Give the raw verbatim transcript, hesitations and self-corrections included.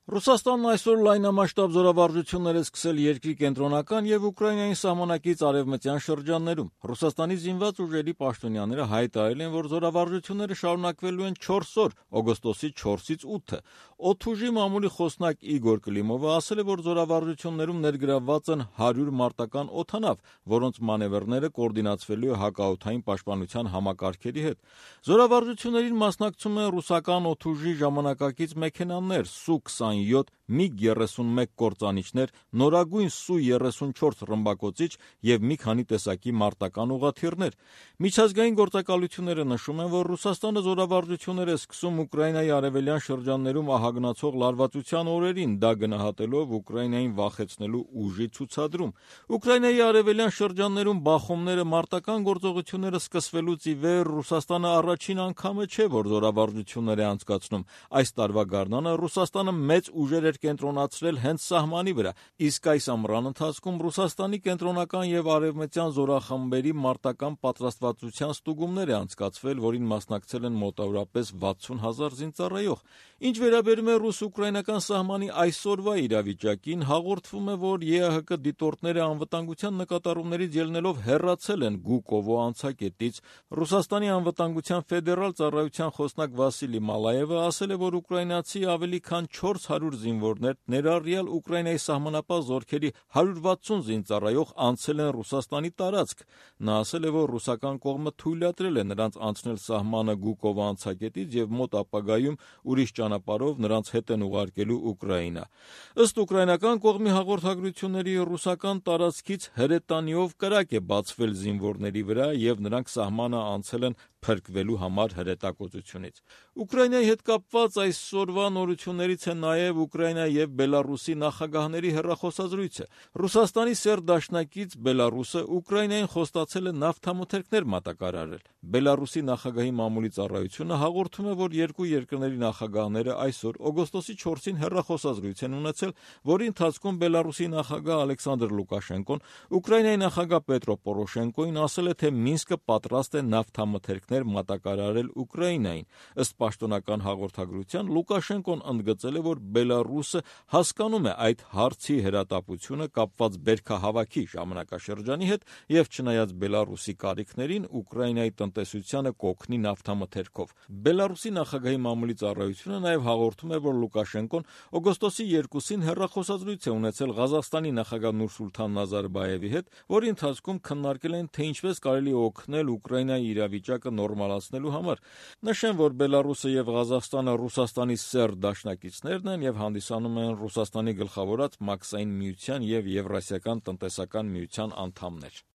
Ռուսաստանն այսօր լայնամասշտաբ զորավարժություններ է սկսել երկրի կենտրոնական եւ Ուկրաինայի սահմանակից արևմտյան շրջաններում։ Ռուսաստանի զինված ուժերի պաշտոնյաները հայտարարել են, որ զորավարժությունները շարունակվելու են չորս օր՝ օգոստոսի չորսից ութը։ Օդուժի մամուլի խոսնակ Իգոր Կլիմովը ասել է, որ զորավարժություններում ներգրավված են հարյուր մարտական օդանավ, որոնց մանևրները կոորդինացվելու է հակաօդային պաշտպանության համակարգերի հետ։ Զորավարժություններին մասնակցում են ռուսական օդուժի ժամանակակից մեքենաներ Սու քսանյոթ, միգ երեսունմեկ կործանիչներ, նորագույն Սու երեսունչորս ռմբակոծիչ եւ մի քանի տեսակի մարտական ուղղաթիռներ։ Միջազգային գործակալությունները նշում են, որ Ռուսաստանը զորավարժություններ է սկսում Ուկրաինայի արևելյան շրջաններում ահագնացող լարվածության օրերին, դա գնահատելով Ուկրաինային վախեցնելու ուժի ցուցադրում։ Ուկրաինայի արևելյան շրջաններում բախումները, մարտական գործողությունները սկսվելուց ի վեր Ռուսաստանը առաջին անգամը չէ, որ զորավարժություններ է անցկացնում։ Այս տարվա գարնանը Ռուսաստանը մեծ ուժեր էր կենտրոնացրել հենց սահմանի վրա, իսկ այս ամռան ընթացքում Ռուսաստանի կենտրոնական եւ արևմտյան զորախմբերի մարտական պատրաստվածության ստուգումներ է անցկացվել, որին մասնակցել են մոտավորապես վաթսուն հազար զինծառայող։ Ինչ վերաբերում է ռուս-ուկրաինական սահմանի այսօրվա իրավիճակին, հաղորդվում է, որ ԵԱՀԿ դիտորդները անվտանգության նկատառումներից ելնելով հեռացել են Գուկովո անցակետից։ Ռուսաստանի անվտանգության ֆեդերալ ծառայության խոսնակ Վասիլի Մալաևը ասել է, որ ուկրաինացի ավելի քան չորս հարյուր զինվորներ, ներառյալ Ուկրաինայի սահմանապահ զորքերի հարյուր վաթսուն զինծառայող անցել են Ռուսաստանի տարածք։ Նա ասել է, որ ռուսական կողմը թույլատրել է նրանց անցնել սահմանը Գուկովո անցակետից եւ մոտ ապագայում ուրիշ ճանապարհով նրանց հետ են ուղարկելու Ուկրաինա։ Ըստ ուկրաինական կողմի հաղորդագրությունների, ռուսական տարածքից հրետանիով կրակ է բացվել զինվորների վրա եւ նրանք սահմանը անցել են փրկվելու համար հրետակոծությունից։ Ուկրաինայի հետ կապված այսօրվա նորություններից է նաև Ուկրաինայի եւ Բելարուսի նախագահների հեռախոսազրույցը։ Ռուսաստանի սերտ դաշնակից Բելարուսը Ուկրաինային խոստացել է նավթամթերքներ մատակարարել։ Բելարուսի նախագահի մամուլի ծառայությունը հաղորդում է, որ երկու երկրների նախագահները այսօր օգոստոսի չորսին հեռախոսազրույց են ունեցել, որի ընթացքում Բելարուսի նախագահ Ալեքսանդր Լուկաշենկոն Ուկրաինայի նախագահ Պետրո Պորոշենկոին ասել է, թե Մինսկը պատրաստ է նավթամթերքներ մատակարարել Ուկրաինային։ Ըստ պաշտոնական հաղորդագրության Լուկաշենկոն ընդգծել է, որ Բելարուսը հասկանում է այդ հարցի հրատապությունը կապված բերքահավաքի ժամանակաշրջանի հետ եւ չնայած Բելարուսի կարիքներին Ուկրաինայի տնտեսությանը կօգնի նավթամթերքով։ Բելարուսի նախագահի մամուլի ծառայությունը նաեւ հաղորդում է, որ Լուկաշենկոն օգոստոսի երկուսին հեռախոսազրույց է ունեցել Ղազախստանի նախագահ Նուրսուլթան Նազարբաևի հետ, որի ընթացքում քննարկել են, թե ինչպես կարելի է օգնել Ուկրաինայի իրավիճակը նորմալացնելու համար։ Նշեմ, որ Բելարուսը եւ Ղազախստանը Ռուսաստանի սերտ դաշնակիցներն են եւ հանդիսանում են Ռուսաստանի գլխավորած Մաքսային միության եւ Եվրասիական տնտեսական միության անդամներ։